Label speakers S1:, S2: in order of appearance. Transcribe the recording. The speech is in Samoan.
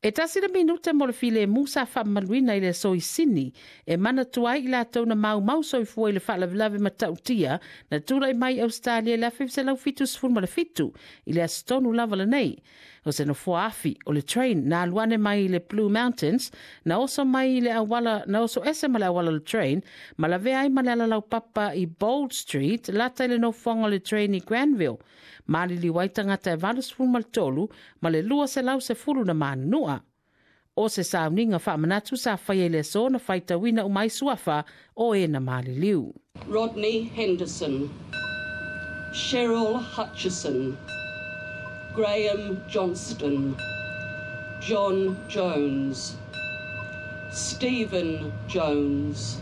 S1: E tasi le minute mo le filemu sa faamamaluina i le aso i Sini e manatua ai i latou na maumau soifua i le faalavelave matautia na tulai mai Ausetalia i le 1977 i le aso tonu lava lenei. O se nofoa afi o le train na alu ane mai i le Blue Mountains na oso mai i le auala na oso ese ma le auala o le train ma lavea ai ma le alalaupapa i Bold Street lata i le nofoaga o le train i Granville. Maliliu ai tagata e 83 ma le 210 na manunua. O se sauniga faamanatu sa faia i le aso na faitauina uma ai suafa o e na maliliu.
S2: Rodney Henderson, Cheryl Hutchison, Graham Johnston, John Jones, Stephen Jones,